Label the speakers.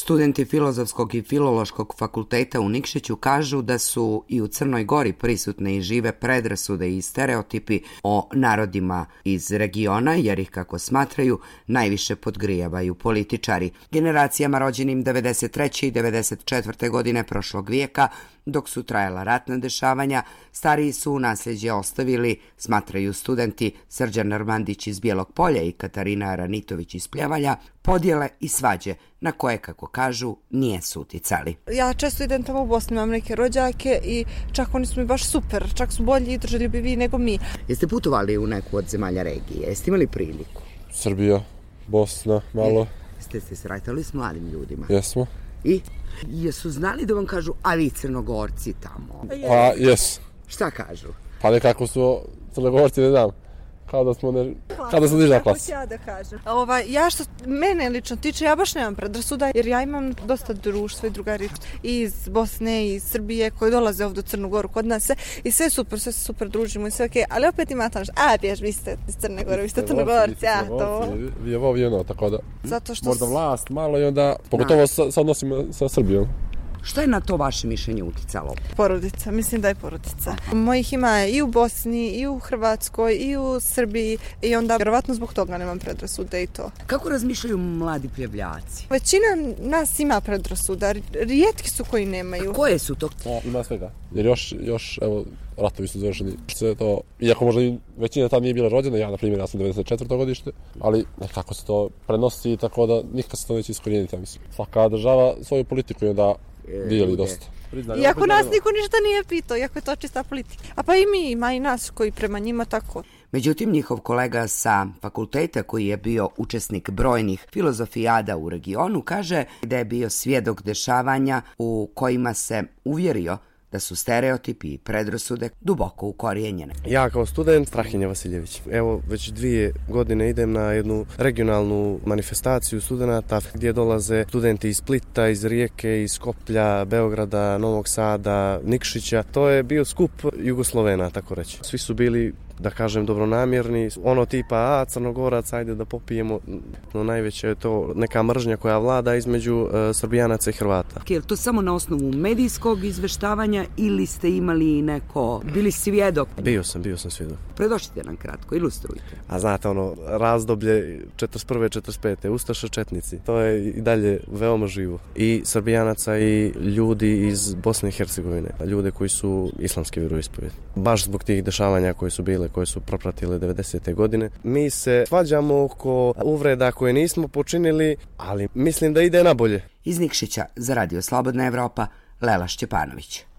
Speaker 1: Studenti Filozofskog i Filološkog fakulteta u Nikšiću kažu da su i u Crnoj Gori prisutne i žive predrasude i stereotipi o narodima iz regiona, jer ih, kako smatraju, najviše podgrijavaju političari. Generacijama rođenim 93. i 94. godine prošlog vijeka, dok su trajala ratna dešavanja, stariji su u nasljeđe ostavili, smatraju studenti Srđan Armandić iz Bijelog Polja i Katarina Aranitović iz Pljevalja, podjele i svađe na koje, kako kažu, nije su uticali.
Speaker 2: Ja često idem tamo u Bosni, imam neke rođake i čak oni su mi baš super, čak su bolji i držaljubiviji nego mi.
Speaker 1: Jeste putovali u neku od zemalja regije? Jeste imali priliku?
Speaker 3: Srbija, Bosna, malo.
Speaker 1: Jeste se sretali s mladim ljudima?
Speaker 3: Jesmo.
Speaker 1: I? Jesu znali da vam kažu, a vi Crnogorci tamo?
Speaker 3: Pa, jes.
Speaker 1: Šta kažu?
Speaker 3: Pa nekako su Crnogorci, ne znam. Kao da smo niža klasa.
Speaker 2: Ja da kažem. Ja što mene lično tiče, ja baš nemam predrasuda, jer ja imam dosta društva i drugari iz Bosne i iz Srbije koji dolaze ovdje u Crnu Goru kod nas i sve se super družimo i sve okej, ali opet ima tamo bjež, vi ste iz Crne Gore, vi ste Crnogorci, to.
Speaker 3: Vi je ovo tako da
Speaker 2: zato što
Speaker 3: možda vlast malo i onda, pogotovo sa odnosima sa Srbijom.
Speaker 1: Šta je na to vaše mišljenje uticalo?
Speaker 2: Porodica, mislim da je porodica. Mojih ima i u Bosni, i u Hrvatskoj, i u Srbiji i onda vjerovatno zbog toga nemam predrasude i to.
Speaker 1: Kako razmišljaju mladi Pljevljaci?
Speaker 2: Većina nas ima predrasuda, rijetki su koji nemaju.
Speaker 1: A koje su to?
Speaker 3: Ima svega. Jer još evo, ratovi su završeni. To, iako možda i većina tam nije bila rođena, ja na primjer, ja sam 94. godište, ali nekako se to prenosi tako da nikad se to neće iskorijeniti, ja mislim. Svaka država svoju politiku je da dijeli dosta.
Speaker 2: Iako nas niko ništa nije pitao, iako je to čista politika. A pa i mi, ima i nas koji prema njima tako.
Speaker 1: Međutim, njihov kolega sa fakulteta, koji je bio učesnik brojnih filozofijada u regionu, kaže da je bio svjedok dešavanja u kojima se uvjerio da su stereotipi i predrasude duboko ukorijenjene.
Speaker 4: Ja kao student, Strahinja Vasiljević. Evo, već 2 godine idem na jednu regionalnu manifestaciju studenata gdje dolaze studenti iz Splita, iz Rijeke, iz Skoplja, Beograda, Novog Sada, Nikšića. To je bio skup Jugoslovena, tako reći. Svi su bili, da kažem, dobronamjerni, ono tipa, Crnogorac, ajde da popijemo, no najveće je to neka mržnja koja vlada između Srbijanaca i Hrvata.
Speaker 1: Je li to samo na osnovu medijskog izveštavanja ili ste imali neko, bili svjedok?
Speaker 4: Bio sam svjedok.
Speaker 1: Predošlite nam kratko, ilustrujte.
Speaker 4: A znate, razdoblje 41. 45. Ustaša četnici, to je i dalje veoma živo. I Srbijanaca i ljudi iz Bosne i Hercegovine, ljude koji su islamske vjeroispovijedi. Baš zbog tih dešavanja koje su bile, koje su propratile 90. godine. Mi se svađamo oko uvreda koje nismo počinili, ali mislim da ide na bolje.
Speaker 1: Iz Nikšića za Radio Slobodna Evropa, Lela Šćepanović.